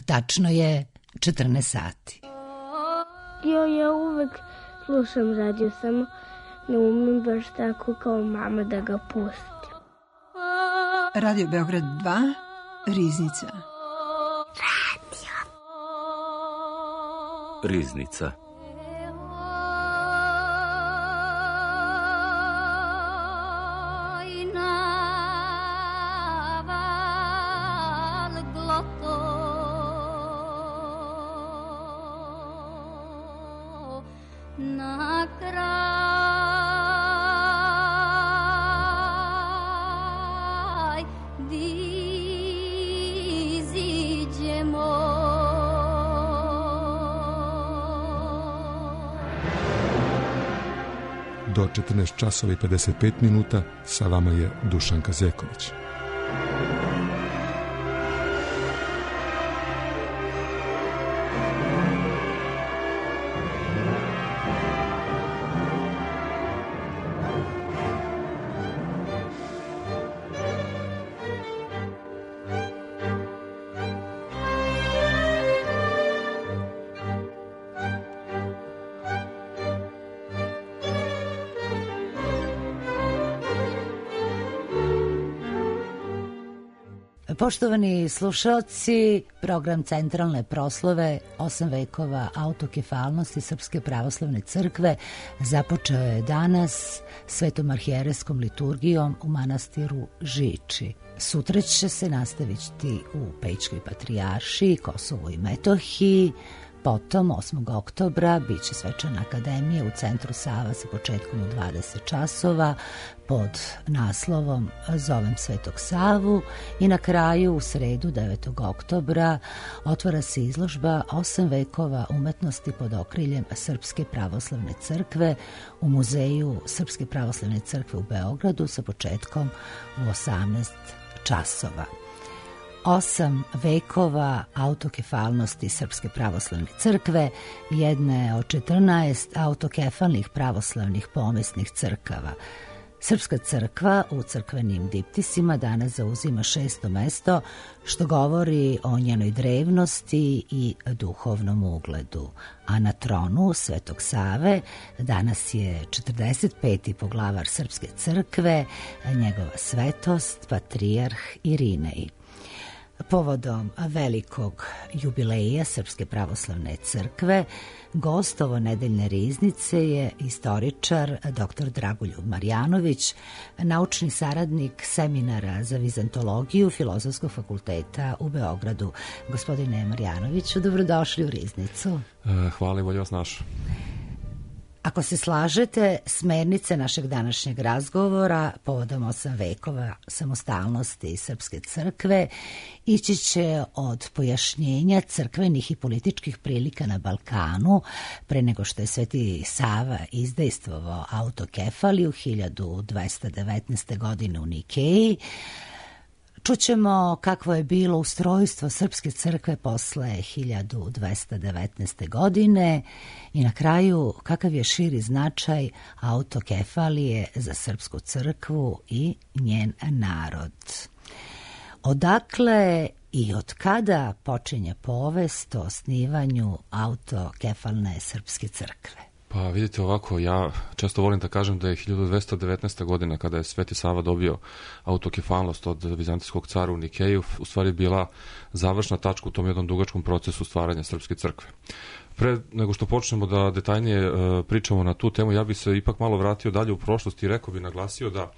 Tačno je 14 sati. Ja uvek slušam radio, samo ne umem baš tako kao mama da ga pustim. Radio Beograd 2, Riznica. Riznica. Do 14 časova i 55 minuta sa vama je Dušan Kazeković. Poštovani slušalci, program Centralne proslave 8 vekova autokefalnosti Srpske pravoslavne crkve započeo je danas svetom arhijerejskom liturgijom u manastiru Žiči. Sutra će se nastaviti u Pećkoj patrijaršiji, Kosovu i Metohiji. Potom, 8. oktobra, bit će svečana akademija u centru Sava sa početkom u 20 časova pod naslovom Zovem Svetog Savu i na kraju, u sredu, 9. oktobra, otvara se izložba 8 vekova umetnosti pod okriljem Srpske pravoslavne crkve u Muzeju Srpske pravoslavne crkve u Beogradu sa početkom u 18 časova. 8 vekova autokefalnosti Srpske pravoslavne crkve, jedna je od 14 autokefalnih pravoslavnih pomesnih crkava. Srpska crkva u crkvenim diptisima danas zauzima 6. mesto, što govori o njenoj drevnosti i duhovnom ugledu. A na tronu Svetog Save danas je 45. poglavar Srpske crkve, njegova svetost, patrijarh Irinej. Povodom velikog jubileja Srpske pravoslavne crkve, gost ovo nedeljne riznice je istoričar dr. Dragoljub Marjanović, naučni saradnik seminara za vizantologiju Filozofskog fakulteta u Beogradu. Gospodine Marjanoviću, dobrodošli u riznicu. Hvala i bolje vas našao. Ako se slažete, smernice našeg današnjeg razgovora povodom 8 vekova samostalnosti Srpske crkve ići će od pojašnjenja crkvenih i političkih prilika na Balkanu pre nego što je Sveti Sava izdejstvovao autokefaliju 1219. godine u Nikeji. Čućemo kakvo je bilo ustrojstvo Srpske crkve posle 1219. godine i na kraju kakav je širi značaj autokefalije za Srpsku crkvu i njen narod. Odakle i od kada počinje povest o osnivanju autokefalne Srpske crkve? Pa vidite ovako, ja često volim da kažem da je 1219. godina kada je Sveti Sava dobio autokefalnost od vizantijskog cara u Nikeju u stvari bila završna tačka u tom jednom dugačkom procesu stvaranja Srpske crkve. Pre nego što počnemo da detaljnije pričamo na tu temu, ja bih se ipak malo vratio dalje u prošlost i rekao bih, naglasio da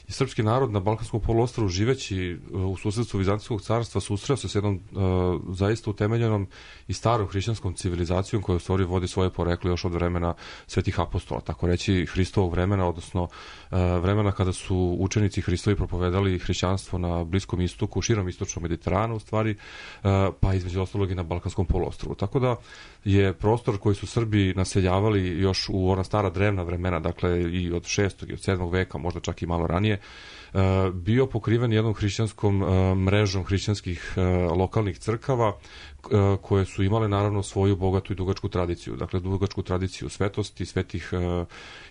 i srpski narod na Balkanskom poluostrvu živeći u susedstvu Vizantijskog carstva susreo se s jednom zaista utemeljenom i starom hrišćanskom civilizacijom koja u stvari vodi svoje poreklo još od vremena svetih apostola, tako reći Hristovog vremena, odnosno vremena kada su učenici Hristovi propovedali hrišćanstvo na Bliskom istoku, širom istočnog Mediterana u stvari, pa između ostalog i na Balkanskom poluostrvu. Tako da je prostor koji su Srbi naseljavali još u ona stara drevna vremena, dakle i od 6. i od 7. veka, možda čak i malo ranije, bio pokriven jednom hrišćanskom mrežom hrišćanskih lokalnih crkava koje su imale naravno svoju bogatu i dugačku tradiciju. Dakle, dugačku tradiciju svetosti, svetih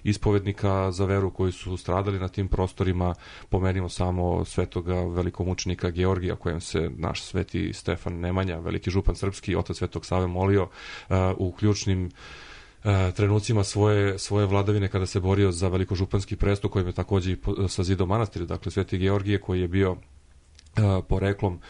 ispovednika za veru koji su stradali na tim prostorima. Pomenimo samo svetoga velikomučenika Georgija, kojem se naš sveti Stefan Nemanja, veliki župan srpski, otac Svetog Save, molio u ključnim trenucima svoje vladavine kada se borio za velikožupanski presto, kojim je takođe i sazidao manastir. Dakle, sveti Georgije koji je bio poreklom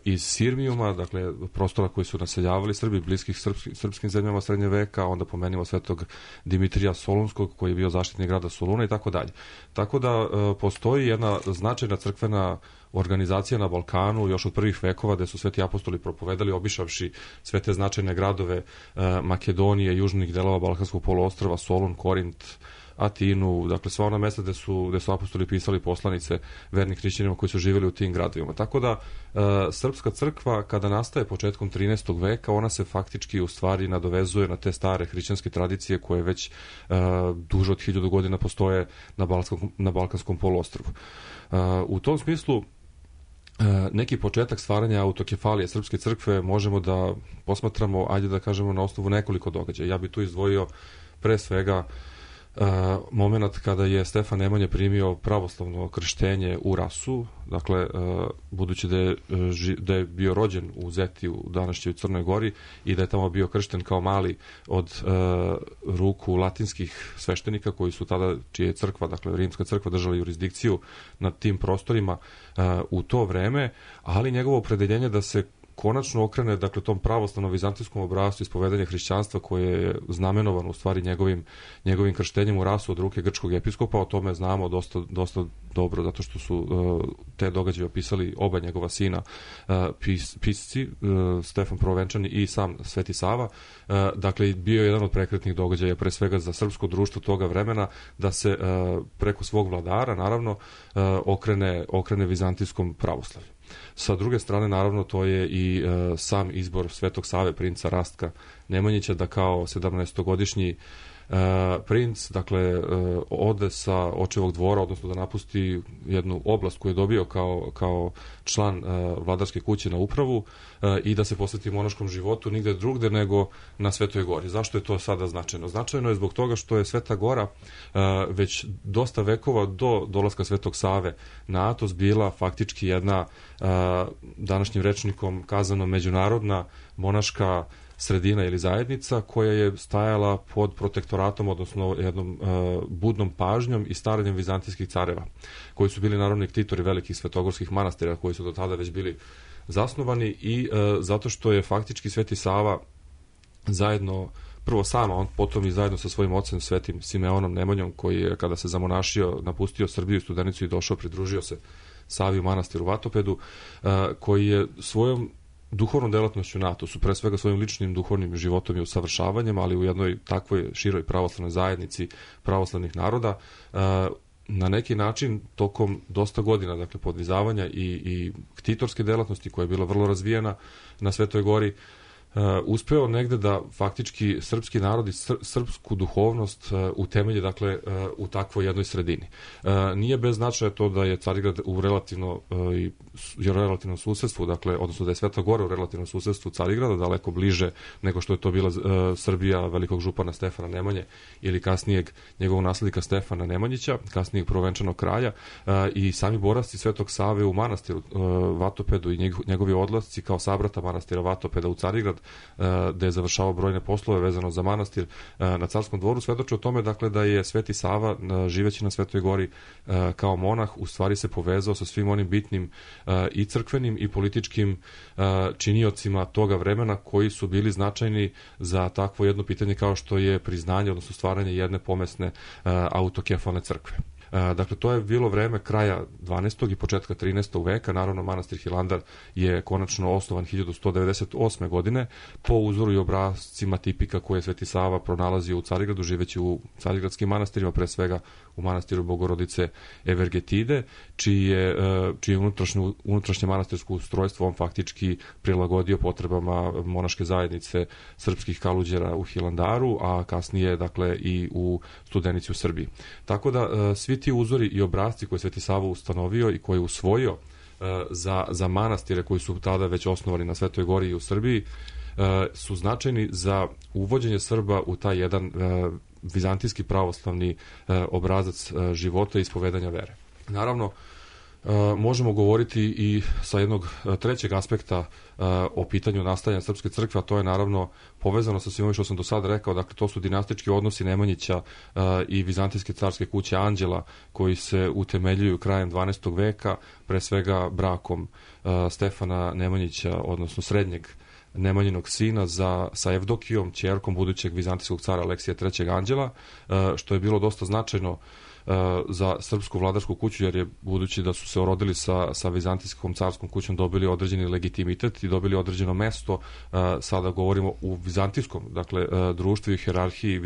iz Sirmijuma, dakle prostora koji su naseljavali Srbi, bliskih srpskim zemljama srednje veka, onda pomenimo svetog Dimitrija Solunskog koji je bio zaštitnik grada Soluna i tako dalje. Tako da postoji jedna značajna crkvena organizacija na Balkanu još od prvih vekova gde su sveti apostoli propovedali obišavši sve te značajne gradove Makedonije, južnih delova Balkanskog poluostrva, Solun, Korint, Atinu, dakle sva ona mesta gde su apostoli pisali poslanice vernih hrišćanima koji su živjeli u tim gradovima. Tako da srpska crkva kada nastaje početkom 13. veka, ona se faktički u stvari nadovezuje na te stare hrišćanske tradicije koje već duže od 1000 godina postoje na Balkanskom poluostrvu. U tom smislu neki početak stvaranja autokefalije srpske crkve možemo da posmatramo, ajde da kažemo, na osnovu nekoliko događaja. Ja bih tu izdvojio pre svega moment kada je Stefan Nemanja primio pravoslavno krštenje u Rasu, dakle, budući da je bio rođen u Zeti u današnjoj Crnoj Gori i da je tamo bio kršten kao mali od ruku latinskih sveštenika koji su tada, čija je crkva, dakle rimska crkva, držala jurisdikciju nad tim prostorima u to vreme, ali njegovo opredeljenje da se konačno okrene, dakle, tom pravoslavnom vizantijskom obrascu ispovedanja hrišćanstva koje je znamenovano u stvari njegovim krštenjem u Rasu od ruke grčkog episkopa. O tome znamo dosta dobro, zato što su te događaje opisali oba njegova sina pisci, Stefan Prvovenčani i sam Sveti Sava. Dakle, bio je jedan od prekretnih događaja pre svega za srpsko društvo toga vremena da se preko svog vladara, naravno, okrene vizantijskom pravoslavlju. Sa druge strane, naravno, to je i sam izbor Svetog Save, princa Rastka Nemanjića, da kao 17-godišnji princ, dakle, ode sa očevog dvora, odnosno da napusti jednu oblast koju je dobio kao član vladarske kuće na upravu i da se posveti monaškom životu nigde drugde nego na Svetoj Gori. Zašto je to sada značajno? Značajno je zbog toga što je Sveta Gora već dosta vekova do dolaska Svetog Save na Atos bila faktički jedna, današnjim rečnikom kazano, međunarodna monaška sredina ili zajednica koja je stajala pod protektoratom, odnosno jednom budnom pažnjom i staranjem vizantijskih careva, koji su bili naravno ktitori velikih svetogorskih manastira koji su do tada već bili zasnovani i zato što je faktički Sveti Sava zajedno, prvo sam, a on potom i zajedno sa svojim ocem Svetim Simeonom Nemanjom, koji je kada se zamonašio napustio Srbiju i Studenicu i došao, pridružio se Savi u manastiru Vatopedu, koji je svojom duhovnom delatnošću na Atosu, pre svega svojim ličnim duhovnim životom i usavršavanjem, ali u jednoj takvoj široj pravoslavnoj zajednici pravoslavnih naroda, na neki način tokom dosta godina, dakle, podvizavanja i ktitorske delatnosti koja je bila vrlo razvijena na Svetoj Gori, uspeo negde da faktički srpski narod i srpsku duhovnost utemelje, dakle, u takvoj jednoj sredini. Nije bez značaja to da je Carigrad u relativnom susedstvu, dakle, odnosno da je Sveta Gora u relativnom susedstvu Carigrada, daleko bliže nego što je to bila Srbija velikog župana Stefana Nemanje ili kasnijeg njegovog naslednika Stefana Nemanjića, kasnijeg prvovenčanog kralja, i sami boravci Svetog Save u manastiru Vatopedu i njegovi odlasci kao sabrata manastira Vatopeda u Carigrad, gde je završavao brojne poslove vezano za manastir na Carskom dvoru, svedoči o tome, dakle, da je Sveti Sava, živeći na Svetoj Gori kao monah, u stvari se povezao sa svim onim bitnim i crkvenim i političkim činiocima toga vremena koji su bili značajni za takvo jedno pitanje kao što je priznanje, odnosno stvaranje jedne pomesne autokefalne crkve. Dakle, to je bilo vreme kraja 12. i početka 13. veka. Naravno, manastir Hilandar je konačno osnovan 1198. godine po uzoru i obrascima tipika koje je Sveti Sava pronalazio u Carigradu, živeći u carigradskim manastirima, pre svega u manastiru Bogorodice Evergetide, čije unutrašnje manastirsko ustrojstvo on faktički prilagodio potrebama monaške zajednice srpskih kaluđera u Hilandaru, a kasnije, dakle, i u Studenici u Srbiji. Tako da svi ti uzori i obrazci koje Sveti Sava ustanovio i koje je usvojio za manastire koji su tada već osnovani na Svetoj Gori i u Srbiji, su značajni za uvođenje Srba u taj jedan vizantijski pravoslavni obrazac života i ispovedanja vere. Naravno, možemo govoriti i sa jednog trećeg aspekta o pitanju nastajanja Srpske crkve, a to je naravno povezano sa svim ovim što sam do sada rekao. Dakle, to su dinastički odnosi Nemanjića i Vizantijske carske kuće Anđela, koji se utemeljuju krajem 12. veka, pre svega brakom Stefana Nemanjića, odnosno srednjeg Nemanjinog sina sa Evdokijom, ćerkom budućeg vizantijskog cara Aleksija III. Anđela, što je bilo dosta značajno za srpsku vladarsku kuću, jer je, budući da su se orodili sa vizantijskom carskom kućom, dobili određeni legitimitet i dobili određeno mesto. Sada govorimo u vizantijskom, dakle, društvu i hijerarhiji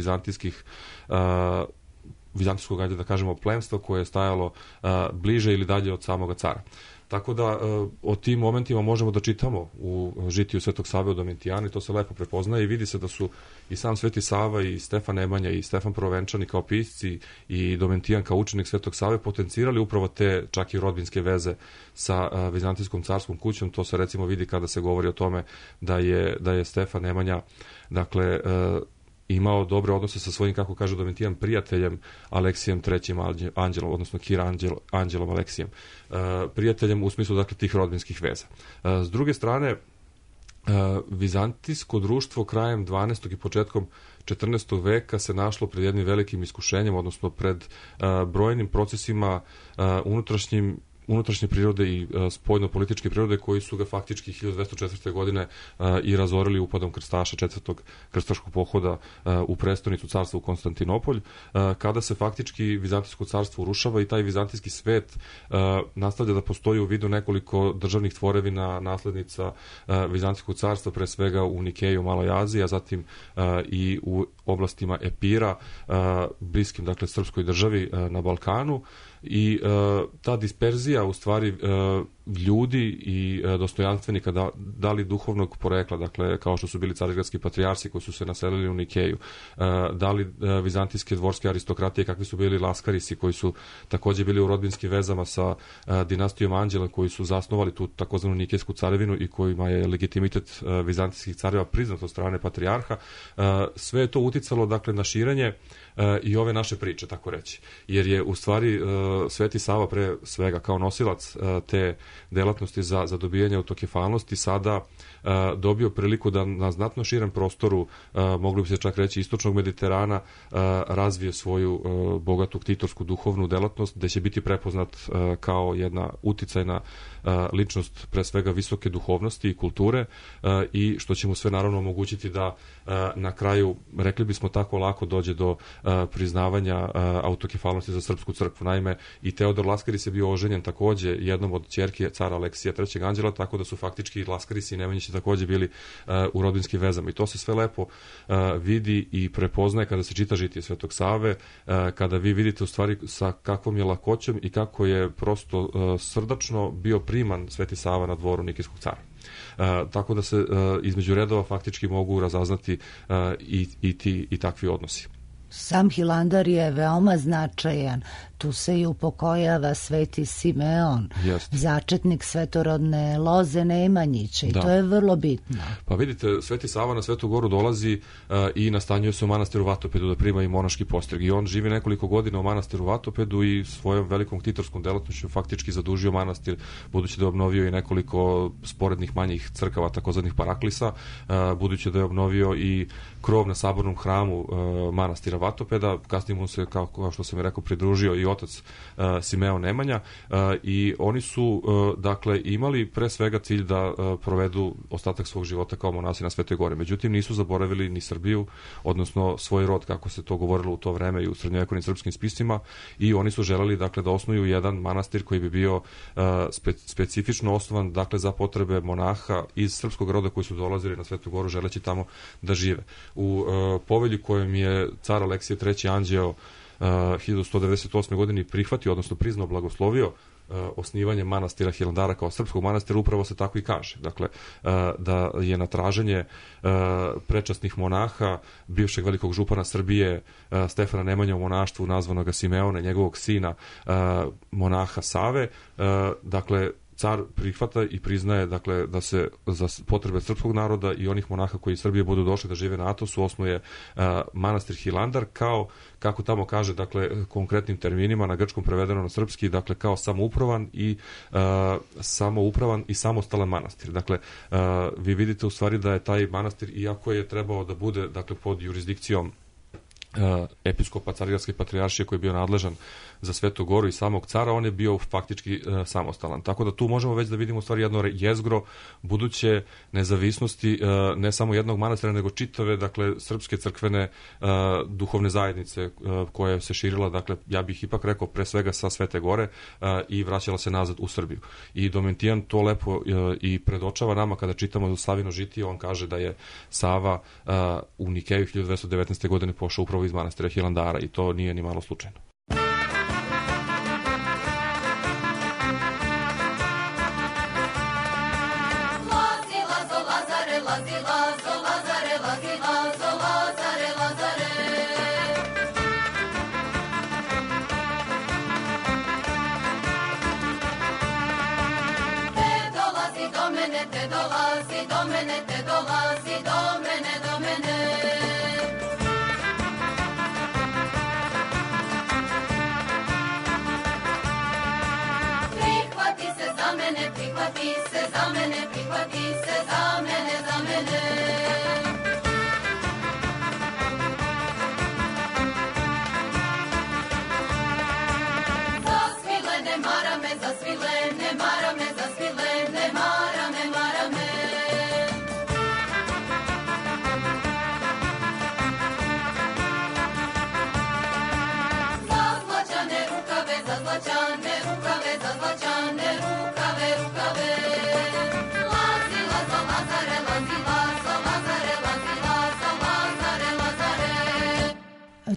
vizantijskog, ajde da kažemo, plemstva koje je stajalo bliže ili dalje od samoga cara. Tako da o tim momentima možemo da čitamo u žitiju Svetog Save od Domitijana i to se lepo prepoznaje i vidi se da su i sam Sveti Sava i Stefan Nemanja i Stefan Prvovenčani kao pisci i Domitijan kao učenik Svetog Save potencirali upravo te čak i rodbinske veze sa vizantijskom carskom kućom. To se recimo vidi kada se govori o tome da je Stefan Nemanja, dakle, imao dobre odnose sa svojim, kako kaže Domitijan, prijateljem Aleksijem III. Anđelom, odnosno Kir Anđelom Aleksijem. Prijateljem u smislu, dakle, tih rodbinskih veza. S druge strane, vizantijsko društvo krajem 12. i početkom 14. veka se našlo pred jednim velikim iskušenjem, odnosno pred brojnim procesima unutrašnje prirode i spoljno-političke prirode koji su ga faktički 1204. godine i razorili upadom krstaša 4. krstaškog pohoda u prestonicu carstva u Konstantinopolj, kada se faktički Vizantijsko carstvo urušava i taj vizantijski svet nastavlja da postoji u vidu nekoliko državnih tvorevina naslednica Vizantijskog carstva, pre svega u Nikeju, Maloj Aziji, a zatim i u oblastima Epira, bliskim, dakle, srpskoj državi na Balkanu. I ta disperzija u stvari ljudi i dostojanstvenika, da li duhovnog porekla, dakle, kao što su bili carigradski patrijarsi koji su se naselili u Nikeju, da li vizantijske dvorske aristokratije, kakvi su bili laskarisi koji su takođe bili u rodbinskim vezama sa dinastijom Anđela, koji su zasnovali tu takozvanu Nikejsku carevinu i kojima je legitimitet vizantijskih careva priznat od strane patrijarha. Sve je to uticalo, dakle, na širenje i ove naše priče, tako reći. Jer je u stvari Sveti Sava pre svega kao nosilac te delatnosti za dobijanje autokefalnosti sada dobio priliku da na znatno širem prostoru, mogli bi se čak reći istočnog Mediterana, razvije svoju bogatu ktitorsku duhovnu delatnost, gde će biti prepoznat kao jedna uticajna ličnost pre svega visoke duhovnosti i kulture i što će mu sve naravno omogućiti da na kraju, rekli bismo tako, lako dođe do priznavanja autokefalnosti za srpsku crkvu. Naime, i Teodor Laskaris je bio oženjen takođe jednom od ćerki cara Aleksija III. Anđela, tako da su faktički Laskarisi i Nemanjići takođe bili u rodbinskim vezama. I to se sve lepo vidi i prepoznaje kada se čita žitije Svetog Save, kada vi vidite u stvari sa kakvom je lakoćom i kako je prosto srdačno bio priman Sveti Sava na dvoru Nikejskog cara. Tako da se između redova faktički mogu razaznati i takvi odnosi. Sam Hilandar je veoma značajan. Tu se i upokojava Sveti Simeon, začetnik svetorodne loze Nemanjića i to je vrlo bitno. Pa vidite, Sveti Sava na Svetu Goru dolazi i nastanjuje se u manastiru Vatopedu da prima i monaški postreg. I on živi nekoliko godina u manastiru Vatopedu i svojom velikom ktitorskom delatnošću faktički zadužio manastir, budući da je obnovio i nekoliko sporednih manjih crkava, takozvanih paraklisa, budući da je obnovio i krov na sabornom hramu manastira Vatopeda. Kasnije mu se, kao što sam je rekao, pridružio i otac Simeon Nemanja i oni su, dakle, imali pre svega cilj da provedu ostatak svog života kao monasi na Svetoj Gori. Međutim, nisu zaboravili ni Srbiju, odnosno svoj rod, kako se to govorilo u to vreme i u srednjovekovnim srpskim spisima, i oni su želeli, dakle, da osnuju jedan manastir koji bi bio specifično osnovan, dakle, za potrebe monaha iz srpskog roda koji su dolazili na Svetu Goru želeći tamo da žive. U povelji kojom je car Aleksije III. Anđeo 1198. godini prihvatio, odnosno priznao, blagoslovio osnivanje manastira Hilandara kao srpskog manastira, upravo se tako i kaže. Dakle, da je na traženje prečasnih monaha, bivšeg velikog župana Srbije, Stefana Nemanje u monaštvu nazvanog Simeona, njegovog sina, monaha Save, dakle, car prihvata i priznaje, dakle, da se za potrebe srpskog naroda i onih monaha koji iz Srbije budu došli da žive na Atosu osnuje manastir Hilandar kao, kako tamo kaže, dakle, konkretnim terminima, na grčkom prevedeno na srpski, dakle, kao samoupravan i samostalan manastir. Dakle, vi vidite u stvari da je taj manastir, iako je trebao da bude, dakle, pod jurisdikcijom episkopa Carigradske patrijaršije koji je bio nadležan za Svetu Goru i samog cara, on je bio faktički samostalan. Tako da tu možemo već da vidimo u stvari jedno jezgro buduće nezavisnosti ne samo jednog manastira, nego čitave, dakle, srpske crkvene duhovne zajednice koja se širila, dakle, ja bih ipak rekao pre svega sa Svete Gore i vraćala se nazad u Srbiju. I Domitijan to lepo i predočava nama kada čitamo Savino žitije, on kaže da je Sava u Nikeju 1219. godine pošao upravo iz manastira Hilandara i to nije ni malo slučajno.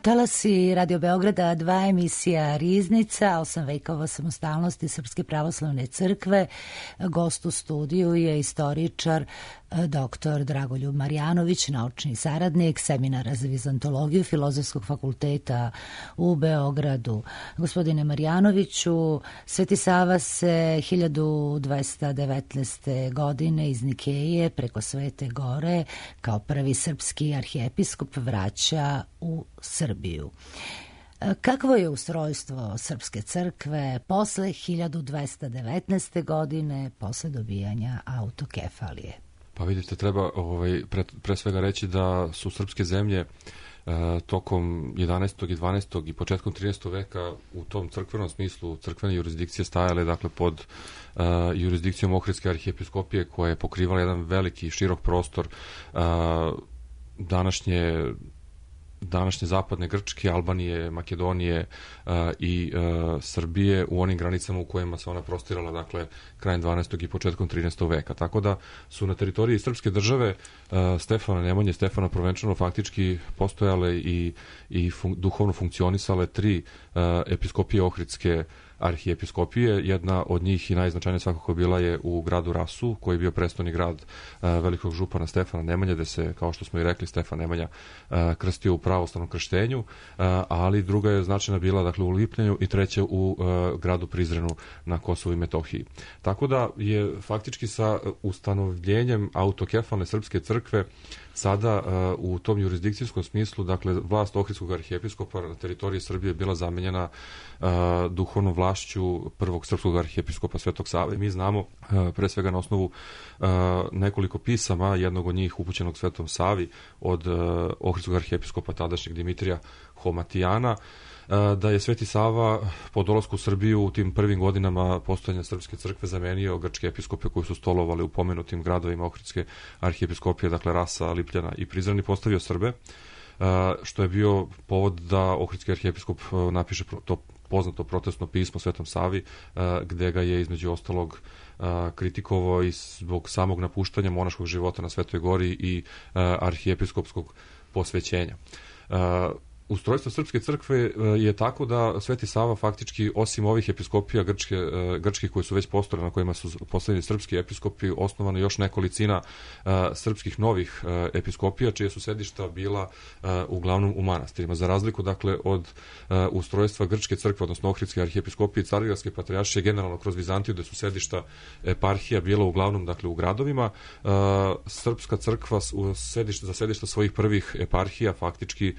Talasi Radio Beograda 2, emisija Riznica, 8 vekova samostalnosti Srpske pravoslavne crkve. Gost u studiju je istoričar dr. Dragoljub Marjanović, naučni saradnik Seminara za vizantologiju Filozofskog fakulteta u Beogradu. Gospodine Marjanoviću, Sveti Sava se 1219. godine iz Nikeje preko Svete Gore kao prvi srpski arhijepiskop vraća u Srbiju. Kakvo je ustrojstvo Srpske crkve posle 1219. godine, posle dobijanja autokefalije? Pa vidite, treba pre svega reći da su srpske zemlje tokom 11. i 12. i početkom 13. veka u tom crkvenom smislu, crkvene jurisdikcije stajale, dakle, pod jurisdikcijom Ohridske arhijepiskopije koja je pokrivala jedan veliki i širok prostor današnje zapadne Grčke, Albanije, Makedonije i Srbije u onim granicama u kojima se ona prostirala, dakle, krajem 12. i početkom 13. veka. Tako da su na teritoriji srpske države Stefana Nemanje, Stefana Provenčano faktički postojale i duhovno funkcionisale 3 episkopije Ohridske arhijepiskopije. Jedna od njih i najznačajnija svakako bila je u gradu Rasu, koji je bio prestolni grad velikog župana Stefana Nemanje, gde se, kao što smo i rekli, Stefan Nemanja krstio u pravoslavnom krštenju, ali druga je značajna bila, dakle, u Lipljanju i treća u gradu Prizrenu na Kosovu i Metohiji. Tako da je faktički sa ustanovljenjem autokefalne srpske crkve sada u tom jurisdikcijskom smislu, dakle, vlast Ohridskog arhijepiskopa na teritoriji Srbije bila zamenjena duhovnom vlašću prvog srpskog arhijepiskopa Svetog Save. Mi znamo, pre svega na osnovu nekoliko pisama, jednog od njih upućenog Svetom Savi od Ohridskog arhijepiskopa tadašnjeg Dimitrija Homatijana, da je Sveti Sava po dolasku u Srbiju u tim prvim godinama postojanja Srpske crkve zamenio grčke episkope koji su stolovali u pomenutim gradovima Ohridske arhijepiskopije, dakle Rasa, Lipljana i Prizren, i postavio Srbe, što je bio povod da Ohridski arhijepiskop napiše to poznato protestno pismo Svetom Savi, gde ga je između ostalog kritikovao i zbog samog napuštanja monaškog života na Svetoj Gori i arhijepiskopskog posvećenja. Ustrojstvo Srpske crkve je tako da Sveti Sava faktički, osim ovih episkopija grčkih koji su već postojali, na kojima su postavljeni srpski episkopi, osnovano još nekolicina srpskih novih episkopija, čije su sedišta bila uglavnom u manastirima. Za razliku, dakle, od ustrojstva Grčke crkve, odnosno Ohridske arhijepiskopije i Carigradske patrijaršije, generalno kroz Vizantiju, gde su sedišta eparhija bila uglavnom, dakle, u gradovima, Srpska crkva za sedišta svojih prvih eparhija faktički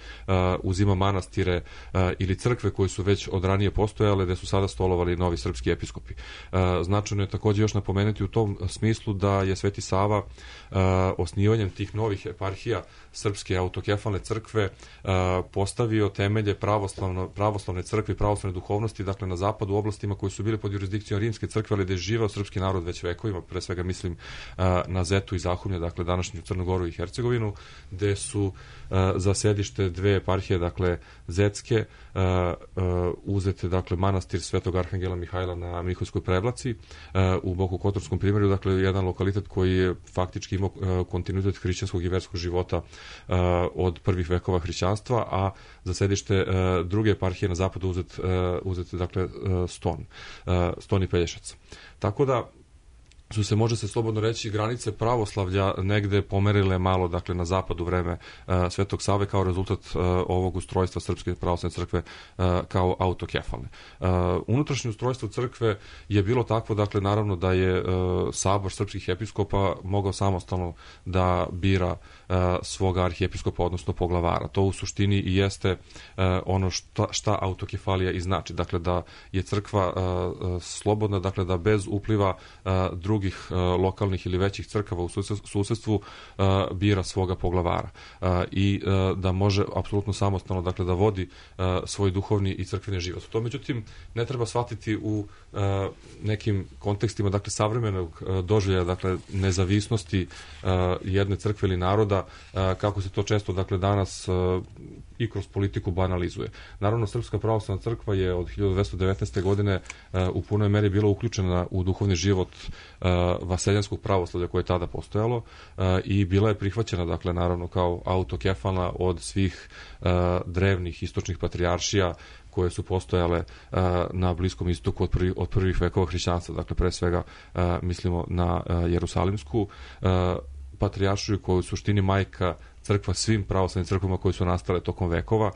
uzima manastire ili crkve koji su već od ranije postojale, gde su sada stolovali novi srpski episkopi. Značajno je takođe još napomenuti u tom smislu da je Sveti Sava osnivanjem tih novih eparhija Srpske autokefalne crkve postavio temelje pravoslavne crkve i pravoslavne duhovnosti, dakle na zapadu, u oblastima koji su bili pod jurisdikcijom Rimske crkve, ali gde je živeo srpski narod već vekovima, pre svega mislim na Zetu i Zahumlje, dakle današnju Crnu Goru i Hercegovinu, gde su za sedište dve eparhije, dakle zetske, uzete, dakle, manastir Svetog Arhangela Mihajla na Miholjskoj Prevlaci u Bokokotorskom primjerju, dakle jedan lokalitet koji je faktički imao kontinuitet hrišćanskog i verskog života od prvih vekova hrišćanstva, a za sedište druge eparhije na zapadu uzete, dakle, Ston i Pelješac. Tako da su se, može se slobodno reći, granice pravoslavlja negde pomerile malo, dakle, na zapad u vreme Svetog Save kao rezultat ovog ustrojstva Srpske pravoslavne crkve kao autokefalne. Unutrašnje ustrojstvo crkve je bilo takvo, dakle, naravno da je sabor srpskih episkopa mogao samostalno da bira svoga arhijepiskopa, odnosno poglavara. To u suštini i jeste ono šta autokefalija i znači. Dakle, da je crkva slobodna, dakle, da bez upliva drugih lokalnih ili većih crkava u susedstvu bira svoga poglavara i da može apsolutno samostalno, dakle, da vodi svoj duhovni i crkveni život. To, međutim, ne treba shvatiti u nekim kontekstima, dakle, savremenog doživljaja, dakle, nezavisnosti jedne crkve ili naroda, kako se to često, dakle, danas i kroz politiku banalizuje. Naravno, Srpska pravoslavna crkva je od 1219. godine u punoj meri bila uključena u duhovni život vaseljanskog pravoslavlja koje je tada postojalo i bila je prihvaćena, dakle, naravno, kao autokefalna od svih drevnih istočnih patrijaršija koje su postojale na Bliskom istoku od prvih vekova hrišćanstva. Dakle, pre svega mislimo na Jerusalimsku patrijaršiju, koja je u suštini majka crkva svim pravoslavnim crkvama koje su nastale tokom vekova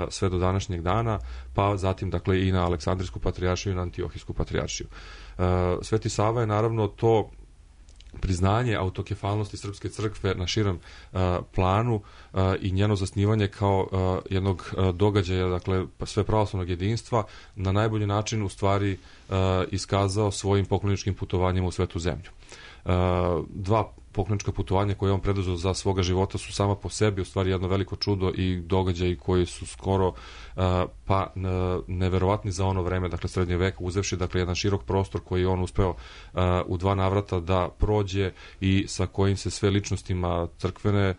sve do današnjeg dana, pa zatim, dakle, i na Aleksandrijsku patrijaršiju i na Antiohijsku patrijaršiju. Sveti Sava je naravno to priznanje autokefalnosti Srpske crkve na širem planu i njeno zasnivanje kao jednog događaja, dakle, sve pravoslavnog jedinstva, na najbolji način u stvari iskazao svojim pokloničkim putovanjima u svetu zemlju. Dva poklonička putovanja koje je on preduzeo za svoga života su sama po sebi u stvari jedno veliko čudo i događaji koji su skoro pa neverovatni za ono vreme, dakle, srednje veka, uzevši, dakle, jedan širok prostor koji je on uspeo u dva navrata da prođe i sa kojim se sve ličnostima crkvene,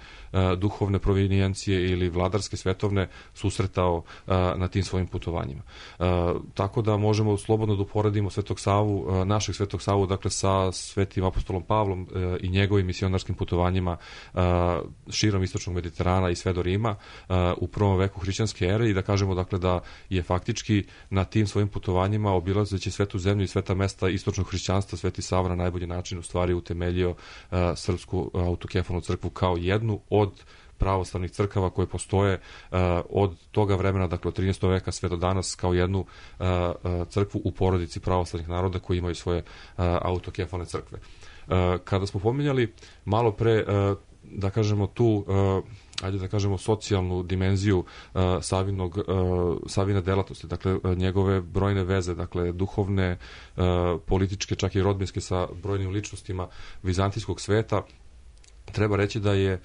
duhovne provinijencije ili vladarske, svetovne susretao na tim svojim putovanjima. Tako da možemo slobodno da uporedimo Svetog Savu, našeg Svetog Savu, dakle, sa Svetim apostolom Pavlom i njegovim misionarskim putovanjima širom istočnog Mediterana i sve do Rima u prvom veku hrišćanske ere, i da kažemo, dakle, da je faktički na tim svojim putovanjima, obilazeći svetu zemlju i sveta mesta istočnog hrišćanstva, Sveti Sava na najbolji način u stvari utemeljio Srpsku autokefalnu crkvu kao jednu od pravoslavnih crkava koje postoje od toga vremena, dakle od 13. veka sve do danas, kao jednu crkvu u porodici pravoslavnih naroda koji imaju svoje autokefalne crkve. Kada smo pominjali malo pre, da kažemo, tu ajde da kažemo socijalnu dimenziju Savine delatnosti, dakle njegove brojne veze, dakle duhovne, političke, čak i rodbinske sa brojnim ličnostima vizantijskog sveta, treba reći da je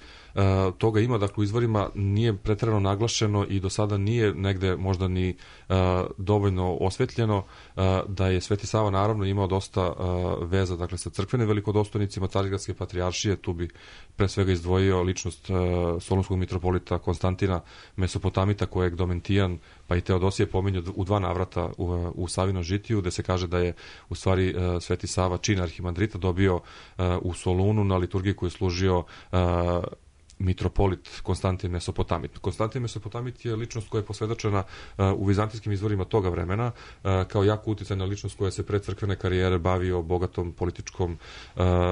toga ima, dakle, u izvorima nije preterano naglašeno i do sada nije negde možda ni dovoljno osvetljeno da je Sveti Sava naravno imao dosta veza, dakle, sa crkvenim velikodostojnicima Carigradske patrijaršije. Tu bi pre svega izdvojio ličnost solunskog mitropolita Konstantina Mesopotamita, kojeg Domentijan pa i Teodosije pominju u dva navrata u Savinom žitiju, gde se kaže da je u stvari Sveti Sava čin arhimandrita dobio u Solunu na liturgiji koju je služio mitropolit Konstantin Mesopotamit. Konstantin Mesopotamit je ličnost koja je posvedočena u vizantijskim izvorima toga vremena kao jako uticajna ličnost koja se pre crkvene karijere bavio bogatom političkom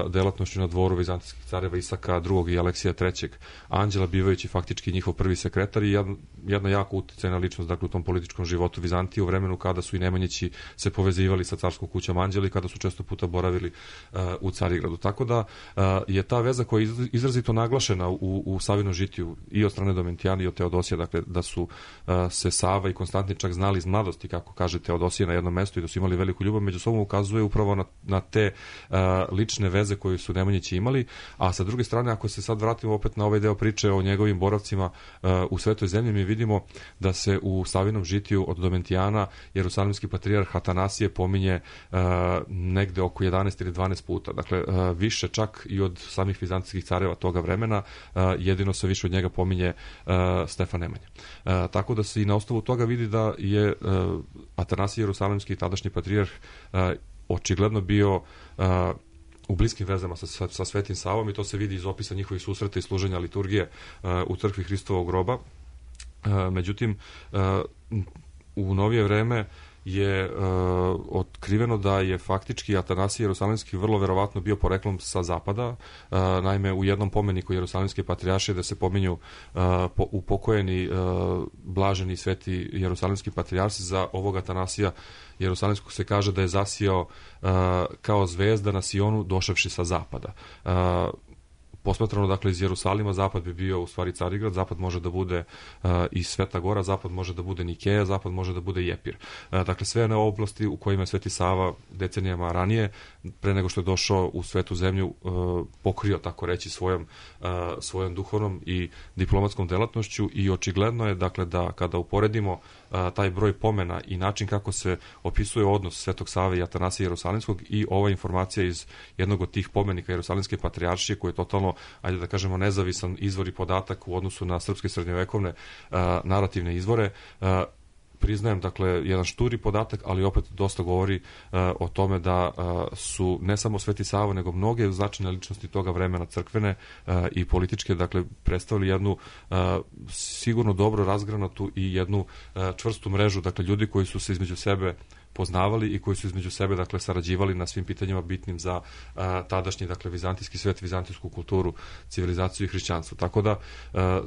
delatnošću na dvoru vizantijskih careva Isaka II. I Aleksija III. Anđela, bivajući faktički njihov prvi sekretar i jedna jako uticajna ličnost dakle, u tom političkom životu Vizantije u vremenu kada su i Nemanjići se povezivali sa carskom kućom Anđeli, kada su često puta boravili u Carigradu. Tako da je ta veza koja je izrazito naglašena u Savinom žitiju i od strane Domitijana i od Teodosija, dakle da su se Sava i Konstantin čak znali iz mladosti, kako kaže Teodosije, na jednom mestu i da su imali veliku ljubav, među sobom ukazuje upravo na te lične veze koje su Nemanjići imali, a sa druge strane, ako se sad vratimo opet na ovaj deo priče o njegovim boravcima u Svetoj zemlji, mi vidimo da se u Savinom žitiju od Domitijana jerusalimski patrijarh Atanasije pominje negde oko 11 ili 12 puta, dakle više čak i od samih vizantijskih careva toga vremena, jedino se više od njega pominje Stefan Nemanja. Tako da se i na osnovu toga vidi da je Atanasije jerusalimski tadašnji patrijarh očigledno bio u bliskim vezama sa Svetim Savom i to se vidi iz opisa njihovih susreta i služenja liturgije u crkvi Hristovog groba. Međutim, u novije vreme je otkriveno da je faktički Atanasije jerusalimski vrlo verovatno bio poreklom sa zapada. Naime, u jednom pomeniku jerusalimske patrijaršije da se pominju upokojeni blaženi sveti jerusalimski patrijarsi, za ovog Atanasija jerusalimskog se kaže da je zasijao kao zvezda na Sionu došavši sa zapada. Posmatrano, dakle, iz Jerusalima, zapad bi bio u stvari Carigrad, zapad može da bude i Sveta Gora, zapad može da bude Nikeja, zapad može da bude Jepir. Dakle, sve one oblasti u kojima je Sveti Sava decenijama ranije, pre nego što je došao u Svetu zemlju, pokrio, tako reći, svojom duhovnom i diplomatskom delatnošću i očigledno je, dakle, da kada uporedimo taj broj pomena i način kako se opisuje odnos Svetog Save i Atanasija jerusalimskog i ova informacija iz jednog od tih pomenika jerusalimske patrijaršije, koji je totalno, ajde da kažemo, nezavisan izvor i podatak u odnosu na srpske srednjovekovne narativne izvore, priznajem, dakle, jedan šturi podatak, ali opet dosta govori o tome da su ne samo Sveti Sava, nego mnoge značajne ličnosti toga vremena, crkvene i političke, dakle, predstavili jednu sigurno dobro razgranatu i jednu čvrstu mrežu, dakle, ljudi koji su se između sebe poznavali i koji su između sebe, dakle, sarađivali na svim pitanjima bitnim za tadašnji, dakle, vizantijski svet, vizantijsku kulturu, civilizaciju i hrišćanstvo. Tako da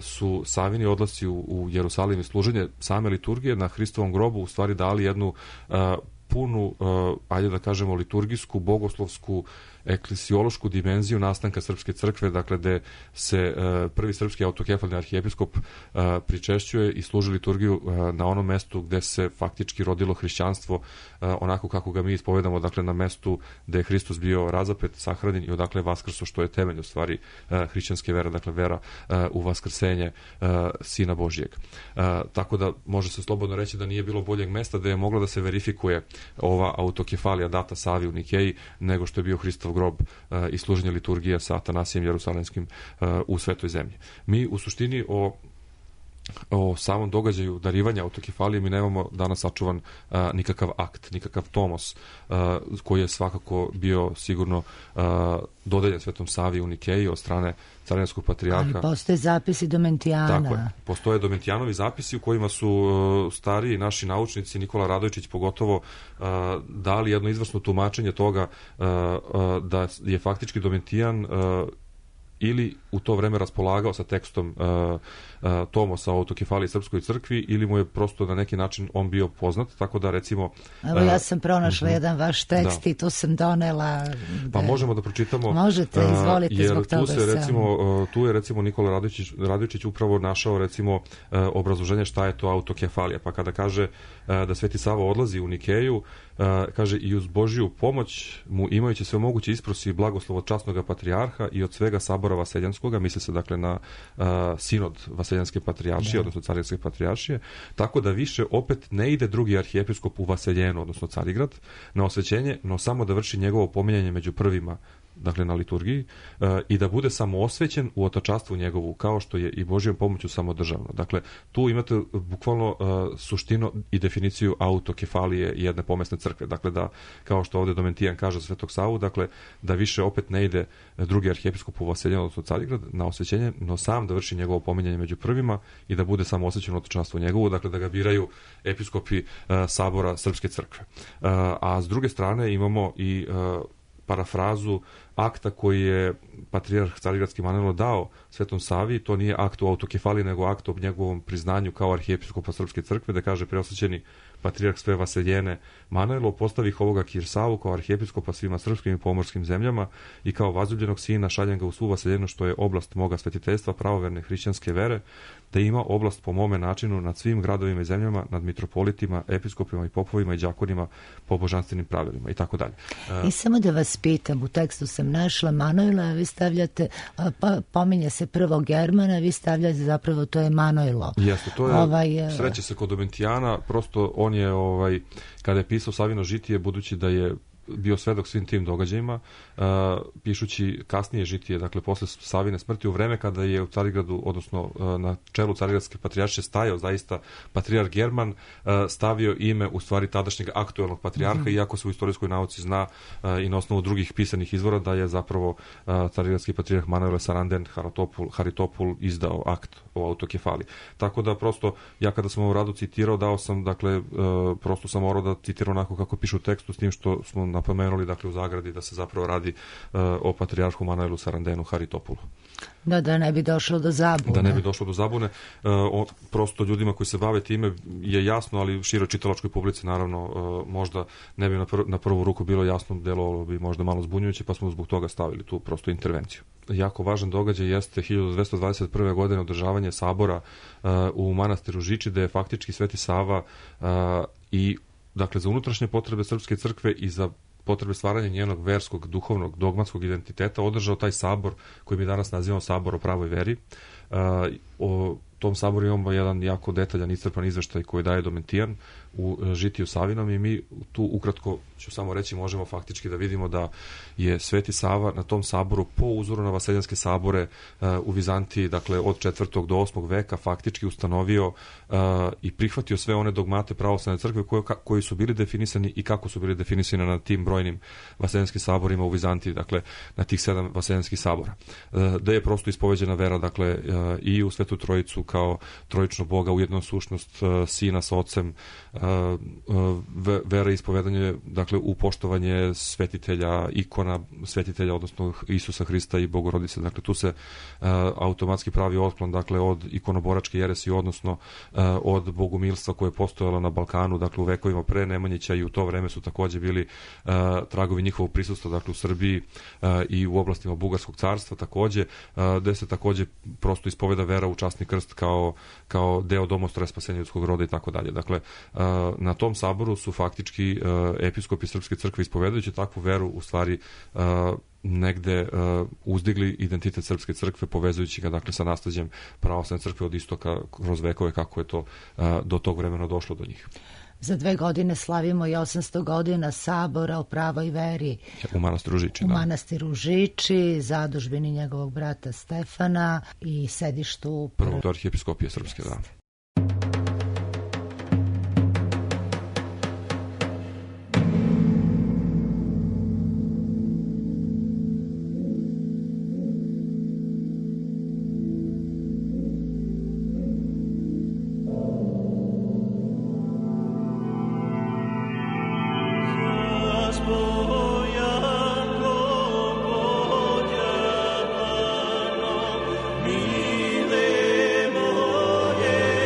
su Savini odlasci u Jerusalim i služenje same liturgije na Hristovom grobu u stvari dali jednu punu, ajde da kažemo, liturgijsku, bogoslovsku, eklesiološku dimenziju nastanka Srpske crkve, dakle, gde se prvi srpski autokefalni arhijepiskop pričešćuje i služi liturgiju na onom mestu gde se faktički rodilo hrišćanstvo onako kako ga mi ispovedamo, dakle, na mestu gde je Hristos bio razapet, sahranjen i odakle je vaskrso, što je temelj u stvari hrišćanske vere, dakle, vera u vaskrsenje Sina Božijeg. Tako da može se slobodno reći da nije bilo boljeg mesta gde je mogla da se verifikuje ova autokefalija data Savi u Nikeji nego što je bio Hristov grob i služenje liturgije sa Atanasijem jerusalimskim u Svetoj zemlji. Mi u suštini o samom događaju darivanja autokefalije mi nemamo danas sačuvan nikakav akt, nikakav tomos koji je svakako bio sigurno dodeljen Svetom Savi u Nikeji od strane carinskog patrijarha. Ali postoje zapisi Domitijana. Tako je. Postoje Domitijanovi zapisi u kojima su stariji naši naučnici, Nikola Radojčić pogotovo, dali jedno izvrsno tumačenje toga da je faktički Domitijan ili u to vreme raspolagao sa tekstom tomosa o autokefaliji Srpskoj crkvi ili mu je prosto na neki način on bio poznat, tako da recimo... Evo, ja sam pronašla jedan vaš tekst i tu sam donela... Pa možemo da pročitamo... Možete, izvolite, zbog toga tu je recimo Nikola Radojčić upravo našao recimo obrazloženje šta je to autokefalija, pa kada kaže da Sveti Sava odlazi u Nikeju, kaže i uz Božiju pomoć mu, imajući sve moguće isprosi blagoslov od časnog patrijarha i od svega sabora vaseljanskoga, misli se dakle na sinod vaseljanske patrijaršije, odnosno carinske patrijaršije, tako da više opet ne ide drugi arhijepiskop u Vaseljenu, odnosno Carigrad, na osvećenje, no samo da vrši njegovo pominjanje među prvima dakle na liturgiji, i da bude samoosvećen u otačastvu njegovu, kao što je i Božjom pomoću samodržavno. Dakle, tu imate bukvalno suštinu i definiciju autokefalije jedne pomesne crkve. Dakle, da, kao što ovde Domentijan kaže za Svetog Savu, dakle, da više opet ne ide drugi arhijepiskop u vaseljenje, odnosno Carigrad, na osvećenje, no sam da vrši njegovo pominjanje među prvima i da bude samoosvećen u otačanstvu njegovu, dakle, da ga biraju episkopi Sabora Srpske crkve. A s druge strane imamo i parafrazu akta koji je patrijarh Carigradski Manojlo dao Svetom Savi. To nije akt o autokefaliji, nego akt o njegovom priznanju kao arhijepiskopa Srpske crkve, da kaže preosvećeni patrijarh sve vaseljene Manojlo postavih ovoga Kirsavu kao arhijepiskopa svima srpskim i pomorskim zemljama i kao vazljubljenog sina šaljem ga u svu vaseljenu što je oblast moga svetiteljstva pravoverne hrišćanske vere, da ima oblast po mome načinu nad svim gradovima i zemljama, nad mitropolitima, episkopima i popovima i đakonima po božanstvenim pravilima i tako dalje. I samo da vas pitam, u tekstu sam našla Manojla, vi stavljate, pominje se prvo Germana, vi stavljate zapravo to je Manojlo. Jeste, to je, sreće se kod Domentijana, prosto on je, kada je pisao Savino žitije, budući da je bio svedok svim tim događajima, pišući kasnije žitije, dakle posle Savine smrti, u vreme kada je u Carigradu, odnosno na čelu Carigradske patrijaršije stajao zaista patrijarh German, stavio ime u stvari tadašnjeg aktuelnog patrijarha, iako se u istorijskoj nauci zna i na osnovu drugih pisanih izvora da je zapravo Carigradski patrijarh Manojle Saranden Haritopul izdao akt o autokefaliji. Tako da prosto, ja kada sam ovu radu citirao, dao sam, dakle, prosto sam morao da citiram onako kako piše u tekstu, s tim što smo napomenuli, dakle, u zagradi da se zapravo radi o patrijarhu Manojlu Sarandenu Haritopulu. Da ne bi došlo do zabune. Da ne bi došlo do zabune. Prosto ljudima koji se bave time je jasno, ali široj čitalačkoj publici naravno možda ne bi na prvu ruku bilo jasno, delovalo bi možda malo zbunjujuće, pa smo zbog toga stavili tu prostu intervenciju. Jako važan događaj jeste 1221. godine održavanje sabora u manastiru Žiči, da je faktički Sveti Sava i, dakle, za unutrašnje potrebe Srpske crkve i za potrebe stvaranja njenog verskog, duhovnog, dogmatskog identiteta održao taj sabor koji mi danas nazivamo sabor o pravoj veri. O tom saboru imamo jedan jako detaljan, iscrpan izveštaj koji daje Domentijan u Žitiju Savinom i mi tu ukratko ću samo reći, možemo faktički da vidimo da je Sveti Sava na tom saboru po uzoru na vaseljanske sabore u Vizantiji, dakle od 4. do 8. veka faktički ustanovio i prihvatio sve one dogmate pravoslavne crkve koji su bili definisani i kako su bili definisani na tim brojnim vaseljanskim saborima u Vizantiji, dakle na tih 7 vaseljanskih sabora. Da je prosto ispoveđena vera, dakle i u Svetu Trojicu kao trojičnog Boga, u jednu sušnost Sina sa Ocem, vera i ispovedanje, dakle u poštovanje svetitelja, ikona svetitelja, odnosno Isusa Hrista i Bogorodice. Dakle, tu se automatski pravi otklon, dakle, od ikonoboračke jeresi, odnosno od bogumilstva koje je postojalo na Balkanu, dakle, u vekovima pre Nemanjića, i u to vreme su takođe bili tragovi njihovog prisustva, dakle, u Srbiji i u oblastima Bugarskog carstva takođe, gde se takođe prosto ispoveda vera u časni krst kao deo domostroja spasenja ljudskog roda i tako dalje. Dakle, na tom saboru su faktički episkopi Srpske crkve ispovedajući takvu veru u stvari negde uzdigli identitet Srpske crkve, povezujući ga, dakle, sa nasleđem pravoslavne crkve od istoka kroz vekove, kako je to do tog vremena došlo do njih. Za 2 godine slavimo i 800 godina sabora o pravoj veri. U manastiru Žiči, u manastiru Žiči, zadužbini njegovog brata Stefana i sedištu prvog arhijepiskopije Srpske, da. Mile moje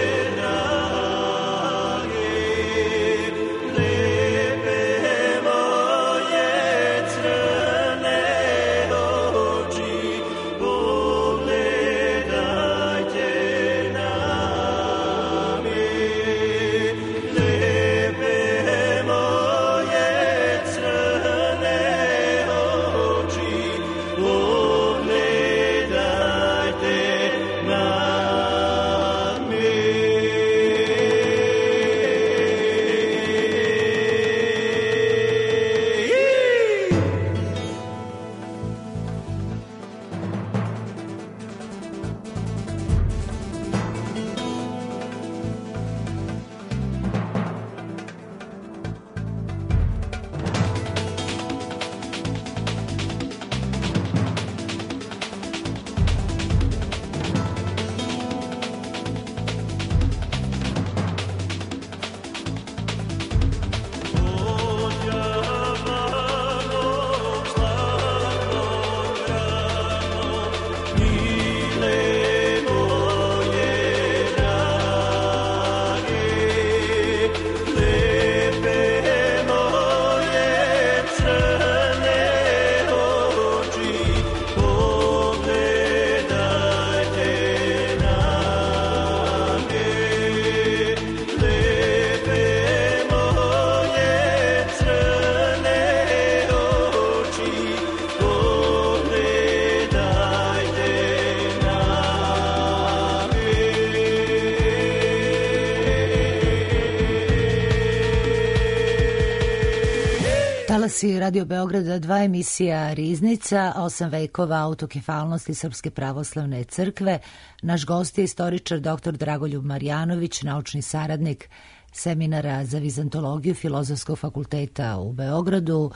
talasi Radio Beograda 2 emisija Riznica, 8 vekova autokefalnosti Srpske pravoslavne crkve. Naš gost je istoričar dr. Dragoljub Marjanović, naučni saradnik seminara za vizantologiju Filozofskog fakulteta u Beogradu.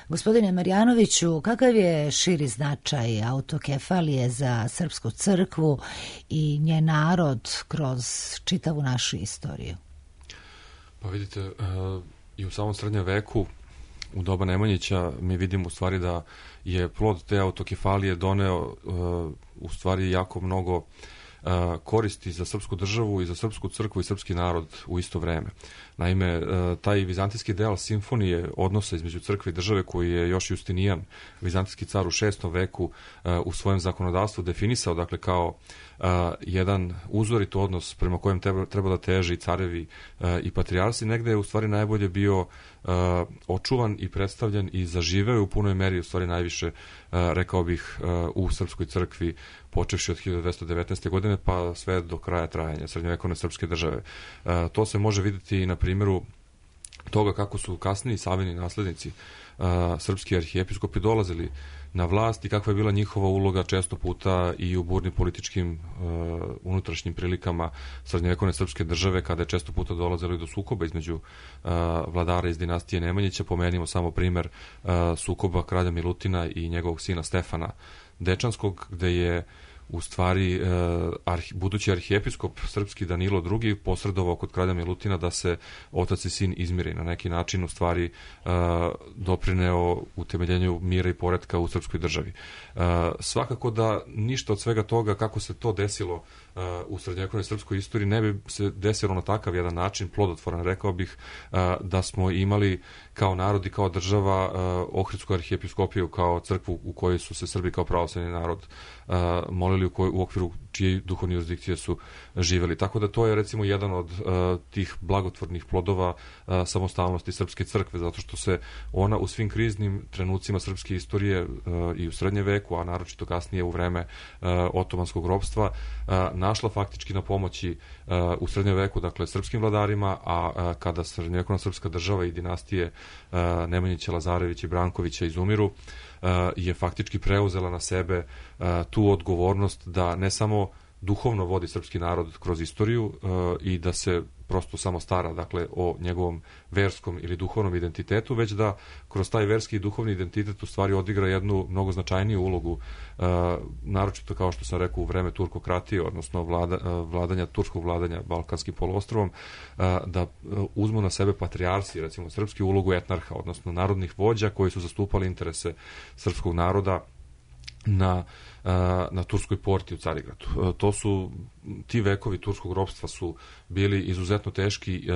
Gospodine Marjanoviću, kakav je širi značaj autokefalije za Srpsku crkvu i njen narod kroz čitavu našu istoriju? Pa vidite, i u samom srednjem veku, u doba Nemanjića, mi vidimo u stvari da je plod te autokefalije doneo u stvari jako mnogo koristi za srpsku državu i za srpsku crkvu i srpski narod u isto vreme. Naime, taj vizantijski deo simfonije odnosa između crkve i države koji je još Justinijan, vizantijski car u 6. veku, u svojem zakonodavstvu definisao, dakle, kao jedan uzorit odnos prema kojem treba da teže i carevi i patrijarsi, negde je u stvari najbolje bio očuvan i predstavljen i zaživeo u punoj meri, u stvari najviše, rekao bih, u srpskoj crkvi, počevši od 1219. godine pa sve do kraja trajanja srednjovekovne srpske države. To se može vidjeti i na primjeru toga kako su kasniji Savini naslednici, srpski arhijepiskopi, dolazili na vlast i kakva je bila njihova uloga često puta i u burnim političkim unutrašnjim prilikama srednjovekovne srpske države, kada je često puta dolazilo i do sukoba između vladara iz dinastije Nemanjića. Pomenimo samo primer sukoba kralja Milutina i njegovog sina Stefana Dečanskog, gde je u stvari budući arhijepiskop srpski Danilo II posredovao kod kralja Milutina da se otac i sin izmiri, na neki način u stvari doprineo utemeljenju mira i poretka u srpskoj državi. Svakako da ništa od svega toga, kako se to desilo u srednjovekovnoj srpskoj istoriji, ne bi se desilo na takav jedan način plodotvoran, rekao bih, da smo imali kao narod i kao država Ohridsku arhijepiskopiju kao crkvu u kojoj su se Srbi kao pravoslavni narod molili, u okviru čije duhovne jurisdikcije su živeli. Tako da to je recimo jedan od tih blagotvornih plodova samostalnosti srpske crkve, zato što se ona u svim kriznim trenucima srpske istorije i u srednjem veku, a naročito kasnije u vreme otomanskog ropstva, našla faktički na pomoći u srednjem veku, dakle, srpskim vladarima, a kada srednjovekovna srpska država i dinastije Nemanjića, Lazarevića i Brankovića izumiru, je faktički preuzela na sebe tu odgovornost da ne samo duhovno vodi srpski narod kroz istoriju i da se prosto samo stara, dakle, o njegovom verskom ili duhovnom identitetu, već da kroz taj verski i duhovni identitet u stvari odigra jednu mnogo značajniju ulogu, naročito, kao što sam rekao, u vreme turkokratije, odnosno turskog vladanja Balkanskim poluostrovom, da uzmu na sebe patrijarsi, recimo srpski, ulogu etnarha, odnosno narodnih vođa koji su zastupali interese srpskog naroda na Turskoj porti u Carigradu. Ti vekovi turskog ropstva su bili izuzetno teški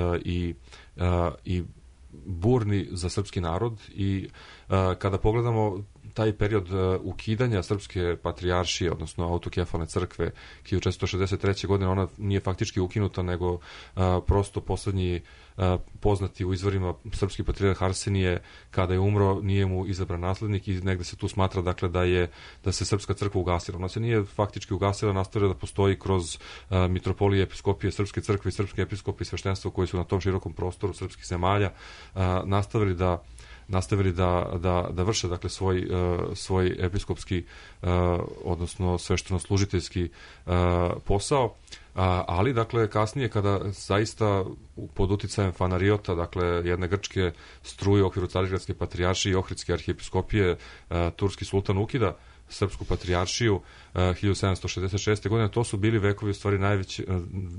i burni za srpski narod i kada pogledamo taj period ukidanja srpske patrijaršije, odnosno autokefalne crkve 1463. godine, ona nije faktički ukinuta, nego prosto poslednji poznati u izvorima srpski patrijarh Arsenije, kada je umro, nije mu izabran naslednik i negde se tu smatra, dakle, da se srpska crkva ugasila. Ona se nije faktički ugasila, nastavila da postoji kroz mitropolije, episkopije srpske crkve i srpske episkopi i sveštenstvo koji su na tom širokom prostoru srpskih zemalja nastavili da vrše, dakle, svoj episkopski, odnosno svešteno-služiteljski posao, ali, dakle, kasnije, kada zaista pod uticajem Fanariota, dakle, jedne grčke struje u okviru Carigradske patrijaršije i Ohridske arhijepiskopije, turski sultan ukida srpsku patrijaršiju 1766. godine, to su bili vekovi u stvari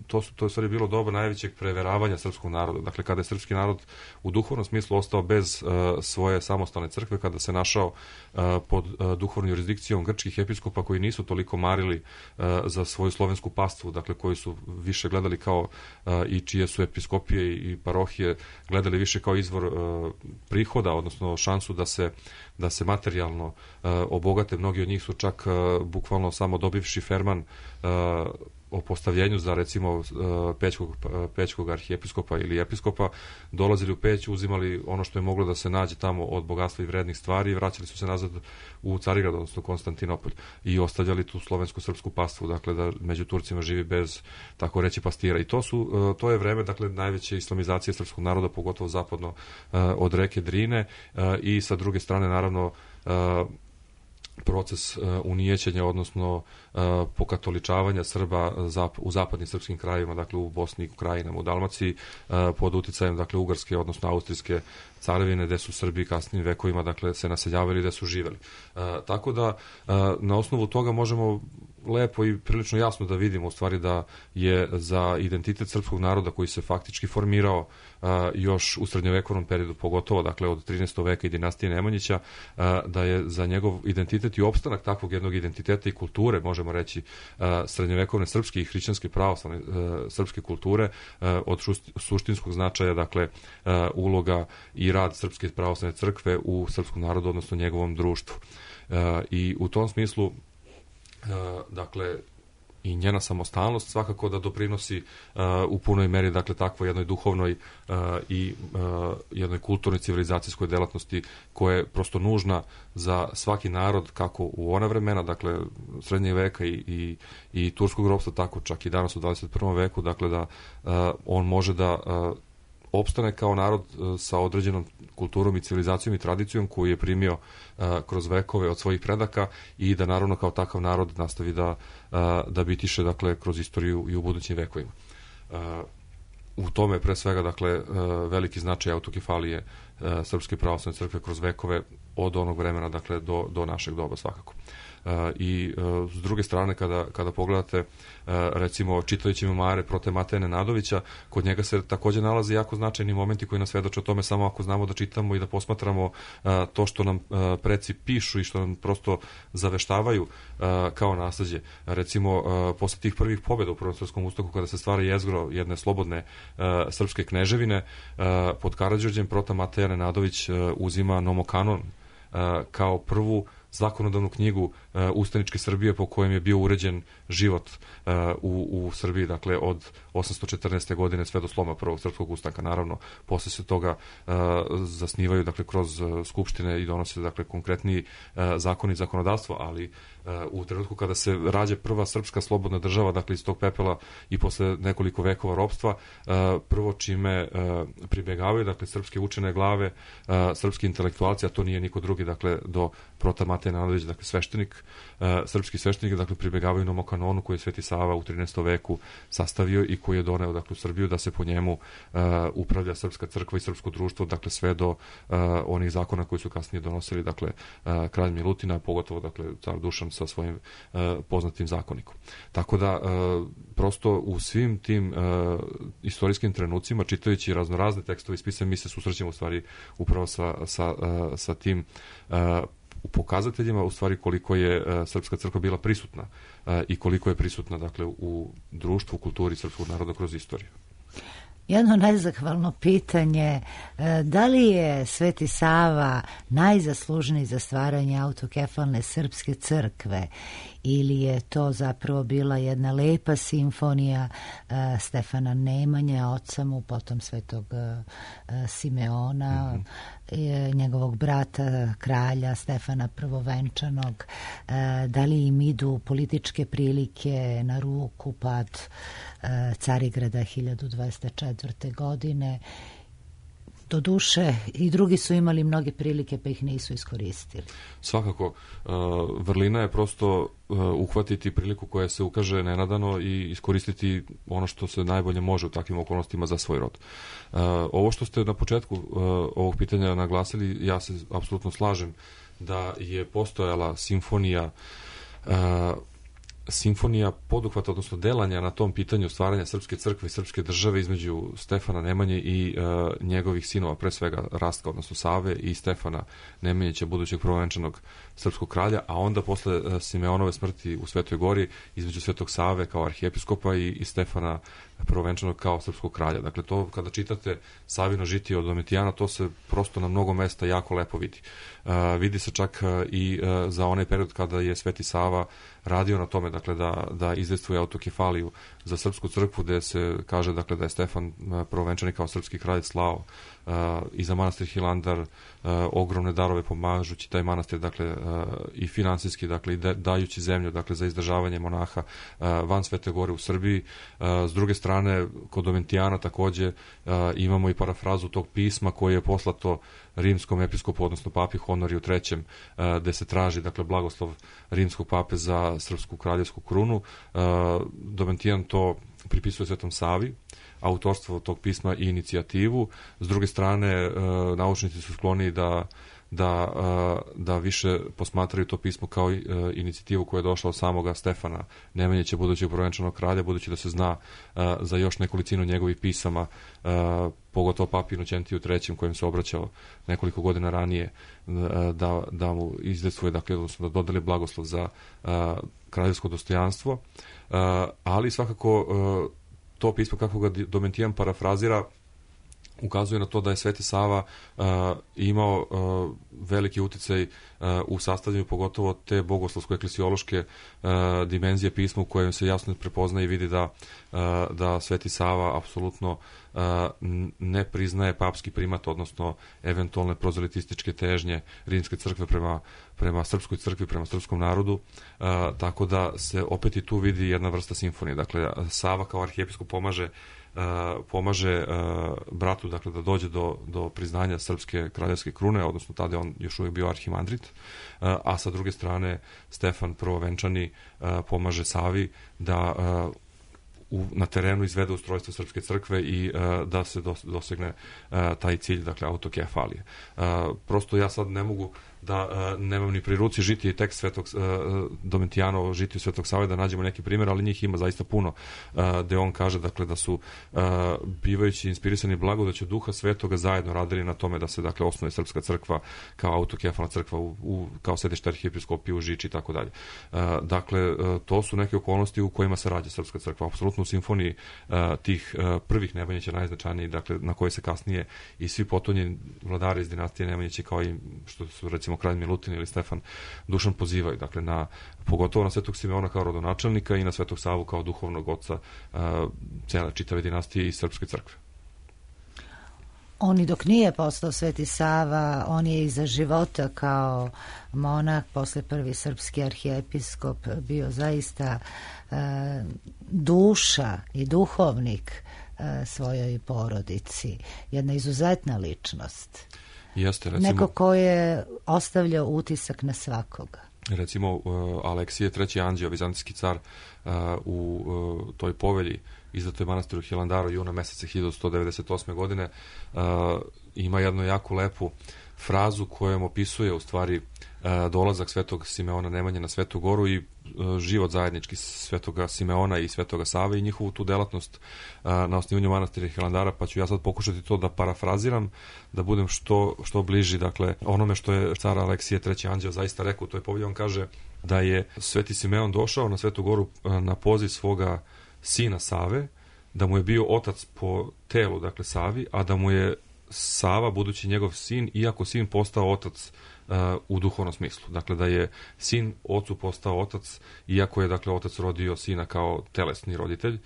to je u stvari bilo doba najvećeg preveravanja srpskog naroda. Dakle, kada je srpski narod u duhovnom smislu ostao bez svoje samostalne crkve, kada se našao pod duhovnom jurisdikcijom grčkih episkopa koji nisu toliko marili za svoju slovensku pastvu, dakle, koji su više gledali kao i čije su episkopije i parohije gledali više kao izvor prihoda, odnosno šansu da se materijalno obogate. Mnogi od njih su čak bukvalno samo dobivši ferman o postavljenju za recimo pećkog arhijepiskopa ili episkopa dolazili u Peć, uzimali ono što je moglo da se nađe tamo od bogatstva i vrednih stvari i vraćali su se nazad u Carigrad, odnosno Konstantinopolj, i ostavljali tu slovensko-srpsku pastvu, dakle da među Turcima živi bez, tako reći, pastira. I to je vreme, dakle, najveće islamizacije srpskog naroda, pogotovo zapadno od reke Drine, i sa druge strane, naravno, proces unijećenja, odnosno pokatoličavanja Srba u zapadnim srpskim krajevima, dakle u Bosni i Krajinama, u Dalmaciji, pod uticajem, dakle, Ugarske, odnosno Austrijske carevine, gde su Srbi kasnim vekovima, dakle, se naseljavali, gde su živeli. Tako da, na osnovu toga možemo lepo i prilično jasno da vidimo u stvari da je za identitet srpskog naroda koji se faktički formirao još u srednjovekovnom periodu, pogotovo, dakle, od 13. veka i dinastije Nemanjića, da je za njegov identitet i opstanak takvog jednog identiteta i kulture, možemo reći, srednjovekovne srpske i hrišćanske pravoslavne srpske kulture, od suštinskog značaja, dakle, uloga i rad Srpske pravoslavne crkve u srpskom narodu, odnosno njegovom društvu. I u tom smislu, dakle, i njena samostalnost svakako da doprinosi u punoj meri, dakle, takvoj jednoj duhovnoj i jednoj kulturnoj civilizacijskoj delatnosti koja je prosto nužna za svaki narod, kako u ona vremena, dakle, srednjeg veka i turskog ropstva, tako čak i danas u 21. veku, dakle, da on može da opstane kao narod sa određenom kulturom i civilizacijom i tradicijom koju je primio kroz vekove od svojih predaka i da naravno kao takav narod nastavi da bitiše, dakle, kroz istoriju i u budućim vekovima. U tome pre svega, dakle, veliki značaj autokefalije Srpske pravoslavne crkve kroz vekove od onog vremena, dakle, do našeg doba svakako. I s druge strane, kada pogledate, recimo, čitajući memare prote Mateje Nenadovića, kod njega se takođe nalaze jako značajni momenti koji nas svedoče o tome samo ako znamo da čitamo i da posmatramo to što nam preci pišu i što nam prosto zaveštavaju kao nasleđe. Recimo, posle tih prvih pobjeda u Prvom svetskom ustanku, kada se stvara jezgro jedne slobodne srpske kneževine, pod Karađorđem prota Mateja Nenadović uzima Nomokanon kao prvu zakonodavnu knjigu ustaničke Srbije po kojem je bio uređen život u Srbiji, dakle, od 814. godine sve do sloma Prvog srpskog ustanka. Naravno, posle se toga zasnivaju, dakle, kroz skupštine i donose, dakle, konkretniji zakoni i zakonodavstvo, ali u trenutku kada se rađe prva srpska slobodna država, dakle, iz tog pepela i posle nekoliko vekova ropstva, prvo čime pribegavaju, dakle, srpske učene glave, srpski intelektualci, a to nije niko drugi, dakle, do prota Mateja Nenadović, dakle, sveštenik, srpski sveštenik, dakle, pribegavaju Nomokanonu koji je Sveti Sava u 13. veku sastavio i koji je doneo, dakle, u Srbiju da se po njemu upravlja srpska crkva i srpsko društvo, dakle, sve do onih zakona koji su kasnije donosili, dakle, kralj Milutina, pogotovo, dakle, car Dušan sa svojim poznatim zakonikom. Tako da, prosto u svim tim istorijskim trenucima, čitajući raznorazne tekstove i spise, mi se susrećemo u stvari upravo sa tim u pokazateljima, u stvari, koliko je srpska crkva bila prisutna i koliko je prisutna, dakle, u društvu, u kulturi srpskog naroda kroz istoriju. Jedno nezahvalno pitanje, da li je Sveti Sava najzaslužniji za stvaranje autokefalne srpske crkve ili je to zapravo bila jedna lepa simfonija Stefana Nemanje, oca mu, potom Svetog Simeona, njegovog brata, kralja Stefana Prvovenčanog, da li im idu političke prilike na ruku pad Carigrada 1204. godine. Doduše, i drugi su imali mnoge prilike, pa ih nisu iskoristili. Svakako, vrlina je prosto uhvatiti priliku koja se ukaže nenadano i iskoristiti ono što se najbolje može u takvim okolnostima za svoj rod. Ovo što ste na početku ovog pitanja naglasili, ja se apsolutno slažem da je postojala simfonija poduhvata, odnosno delanja na tom pitanju stvaranja srpske crkve i srpske države između Stefana Nemanje i njegovih sinova, pre svega Rastka, odnosno Save, i Stefana Nemanjića, budućeg prvovenčanog srpskog kralja, a onda posle Simeonove smrti u Svetoj Gori između Svetog Save kao arhijepiskopa i Stefana prvovenčanog kao srpskog kralja. Dakle, to kada čitate Savino žitije od Domitijana, to se prosto na mnogo mesta jako lepo vidi. Vidi se čak i za onaj period kada je Sveti Sava radio na tome, dakle, da izdejstvuje autokefaliju za srpsku crkvu, gde se kaže, dakle, da je Stefan prvovenčani kao srpski kralj slao i za manastir Hilandar ogromne darove pomažući taj manastir, dakle, i finansijski, dakle, i dajući zemlju, dakle, za izdržavanje monaha van Svete Gore u Srbiji. S druge strane, kod Domitijana takođe imamo i parafrazu tog pisma koje je poslato rimskom episkopu, odnosno papi Honoriju III, gde se traži, dakle, blagoslov rimskog pape za srpsku kraljevsku krunu. Domitijan to pripisuje Svetom Savi, autorstvo tog pisma i inicijativu. S druge strane, naučnici su skloni da više posmatraju to pismo kao inicijativu koja je došla od samoga Stefana Nemanjića, budućeg prvovenčanog kralja, budući da se zna za još nekolicinu njegovih pisama, pogotovo papi Inoćentiju III, kojem se obraćao nekoliko godina ranije, da mu izdejstvuje, dakle, odnosno da dodeli blagoslov za kraljevsko dostojanstvo, ali svakako to pismo kako ga Domitijan parafrazira ukazuje na to da je Sveti Sava imao veliki uticaj u sastavljanju pogotovo te bogoslovsko-eklesiološke dimenzije pisma u kojem se jasno prepoznaje i vidi da Sveti Sava apsolutno ne priznaje papski primat, odnosno eventualne prozelitističke težnje rimske crkve prema srpskoj crkvi, prema srpskom narodu, tako da se opet i tu vidi jedna vrsta simfonije. Dakle, Sava kao arhijepiskop pomaže bratu, dakle, da dođe do priznanja srpske kraljevske krune, odnosno tada je on još uvijek bio arhimandrit, a sa druge strane Stefan prvovenčani pomaže Savi da na terenu izvede ustrojstvo srpske crkve i da se dosegne taj cilj, dakle, autokefalije. Prosto ja sad ne mogu da nemam ni pri ruci žitije i tekst Svetog Domitijana, žitiju Svetog Save, da nađemo neki primjer, ali njih ima zaista puno, gde on kaže, dakle, da su bivajući inspirisani blagodaću Duha Svetoga zajedno radili na tome da se, dakle, osnuje srpska crkva kao autokefalna crkva kao sedište arhijepiskopije u Žiči i tako dalje. Dakle, to su neke okolnosti u kojima se rađa srpska crkva, apsolutno u simfoniji tih prvih Nemanjića najznačajniji, dakle, na koje se kasnije i svi potonji vladari iz dinastije Nemanjića, kao i što su, recimo, kralj Milutin ili Stefan Dušan pozivaju, dakle, pogotovo na Svetog Simeona kao rodonačelnika i na Svetog Savu kao duhovnog oca cele čitave dinastije i srpske crkve. On i dok nije postao Sveti Sava, on je i za života kao monah, posle prvi srpski arhijepiskop, bio zaista duša i duhovnik svojoj porodici. Jedna izuzetna ličnost. Jeste, recimo, neko ko je ostavljao utisak na svakoga. Recimo, Aleksije III. Anđeo, vizantijski car, u toj povelji izdatoj manastiru Hilandaru juna meseca 1198. godine, ima jednu jako lepu frazu kojom opisuje u stvari dolazak Svetog Simeona Nemanje na Svetu Goru i život zajednički Svetoga Simeona i Svetoga Save i njihovu tu delatnost na osnivanju manastira Hilandara, pa ću ja sad pokušati to da parafraziram, da budem što bliži, dakle, onome što je car Aleksije III. Anđeo zaista rekao u toj povelji. On kaže da je Sveti Simeon došao na Svetu Goru na poziv svoga sina Save, da mu je bio otac po telu, dakle, Savi, a da mu je Sava, budući njegov sin, iako sin postao otac u duhovnom smislu. Dakle, da je sin ocu postao otac, iako je, dakle, otac rodio sina kao telesni roditelj.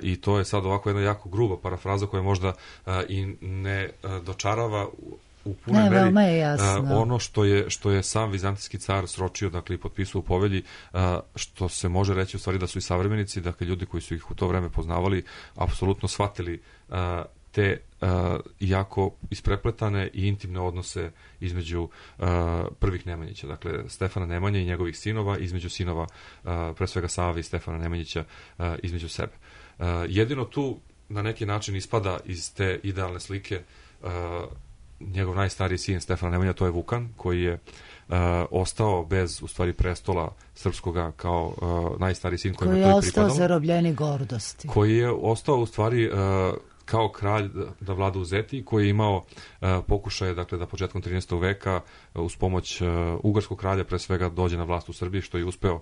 I to je sad ovako jedna jako gruba parafraza koja možda i ne dočarava u punoj meri ono što je sam vizantijski car sročio, dakle, i potpisao u povelji, što se može reći u stvari da su i savremenici, dakle, ljudi koji su ih u to vreme poznavali, apsolutno shvatili te jako isprepletane i intimne odnose između prvih Nemanjića, dakle, Stefana Nemanje i njegovih sinova, između sinova pre svega Save i Stefana Nemanjića između sebe. Jedino tu na neki način ispada iz te idealne slike njegov najstariji sin Stefana Nemanja, to je Vukan, koji je ostao bez, u stvari, prestola srpskoga kao najstariji sin koji je ostao zarobljeni gordosti. Koji je ostao, u stvari, kao kralj da vlada u Zeti, koji je imao pokušaje, dakle, da početkom 13. veka uz pomoć ugarskog kralja pre svega dođe na vlast u Srbiji, što je uspeo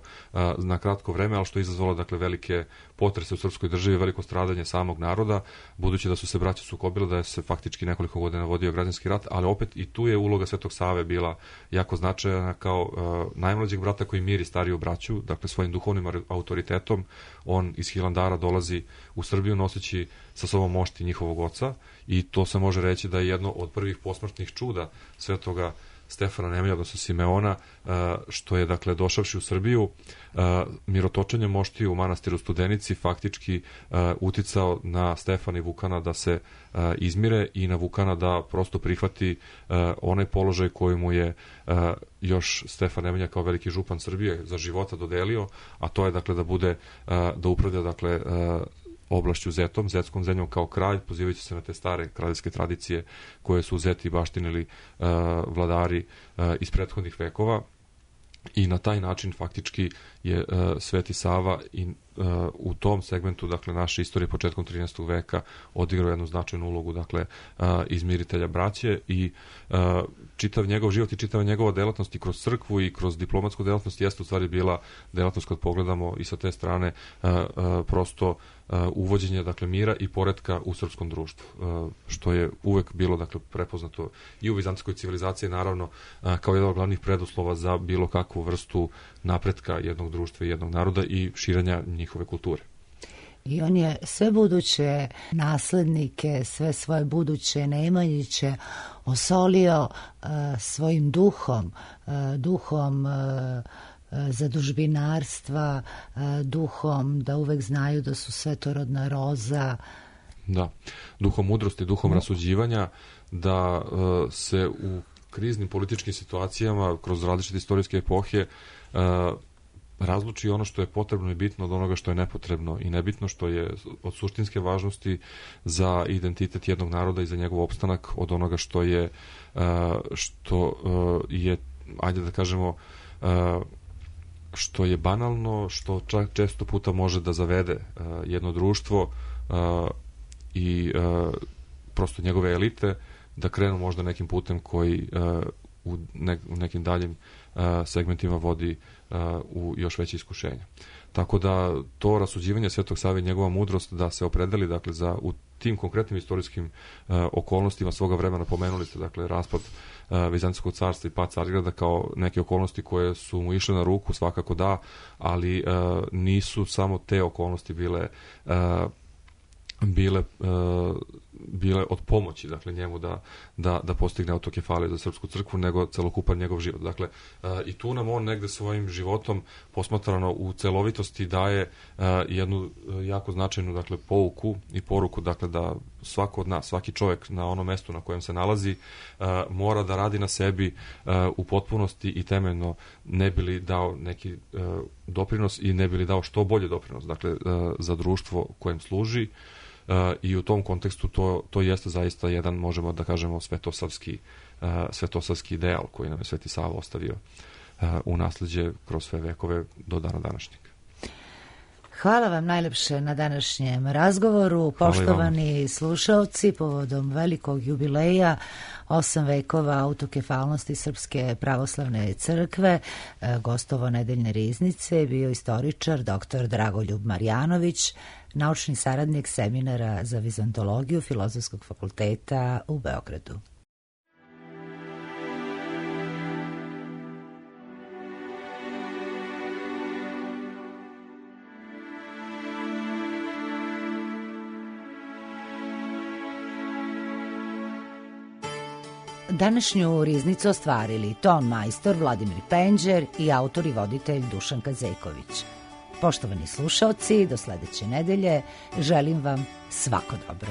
na kratko vreme, ali što je izazvalo, dakle, velike potrese u srpskoj državi, veliko stradanje samog naroda, budući da su se braća sukobile, da je se faktički nekoliko godina vodio građanski rat, ali opet i tu je uloga Svetog Save bila jako značajna kao najmlađeg brata koji miri stariju braću, dakle, svojim duhovnim autoritetom. On iz Hilandara dolazi u Srbiju noseći sa sobom mošti njihovog oca i to se može reći da je jedno od prvih posmrtnih čuda Svetoga Stefana Nemanje, odnosno Simeona, što je, dakle, došavši u Srbiju, mirotočenjem moštiju u manastiru Studenici faktički uticao na Stefana i Vukana da se izmire i na Vukana da prosto prihvati onaj položaj koji mu je još Stefan Nemanja kao veliki župan Srbije za života dodelio, a to je, dakle, da upravlja, dakle, oblašću Zetom, Zetskom zemljom kao kralj, pozivajući se na te stare kraljevske tradicije koje su Zeti baštinili vladari iz prethodnih vekova, i na taj način faktički je Sveti Sava i u tom segmentu, dakle, naše istorije početkom 13. veka odigrao jednu značajnu ulogu, dakle, izmiritelja braće, i čitav njegov život i čitava njegova delatnost i kroz crkvu i kroz diplomatsku delatnost jeste u stvari bila delatnost, kad pogledamo i sa te strane, prosto uvođenje, dakle, mira i poretka u srpskom društvu, što je uvek bilo, dakle, prepoznato i u vizantijskoj civilizaciji, naravno, kao jedan od glavnih preduslova za bilo kakvu vrstu napretka jednog društva i jednog naroda i širenja njihove kulture. I on je sve buduće naslednike, sve svoje buduće Nemanjiće osolio svojim duhom zadužbinarstva, duhom da uvek znaju da su svetorodna roza. Da, duhom mudrosti, duhom rasuđivanja, da se u kriznim političkim situacijama kroz različite istorijske epohe razluči ono što je potrebno i bitno od onoga što je nepotrebno i nebitno, što je od suštinske važnosti za identitet jednog naroda i za njegov opstanak, od onoga što je ajde da kažemo, što je banalno, što čak često puta može da zavede jedno društvo i prosto njegove elite da krenu možda nekim putem koji u nekim daljim segmentima vodi u još veće iskušenja. Tako da to rasuđivanje Svetog Save i njegova mudrost da se opredeli, dakle, u tim konkretnim istorijskim okolnostima svoga vremena, pomenuli ste, dakle, raspad Vizantijskog carstva i pad Carigrada kao neke okolnosti koje su mu išle na ruku, svakako da, ali nisu samo te okolnosti bile od pomoći, dakle, njemu da postigne autokefaliju za srpsku crkvu, nego celokupan njegov život. Dakle, i tu nam on negde svojim životom posmatrano u celovitosti daje jednu jako značajnu, dakle, pouku i poruku, dakle, da svako od nas, svaki čovjek na onom mestu na kojem se nalazi mora da radi na sebi u potpunosti i temeljno, ne bi li dao neki doprinos i ne bi li dao što bolje doprinos, dakle, za društvo kojem služi. I u tom kontekstu to jeste zaista jedan, možemo da kažemo, svetosavski ideal koji nam je Sveti Sava ostavio u nasleđe kroz sve vekove do dana današnjeg. Hvala vam najlepše na današnjem razgovoru. Poštovani slušalci, povodom velikog jubileja 8 vekova autokefalnosti Srpske pravoslavne crkve, gostovo nedeljne riznice bio istoričar dr. Dragoljub Marjanović, naučni saradnik seminara za vizantologiju Filozofskog fakulteta u Beogradu. Današnju riznicu ostvarili ton majstor Vladimir Penđer i autor i voditelj Dušan Kazeković. Poštovani slušaoci, do sledeće nedelje želim vam svako dobro.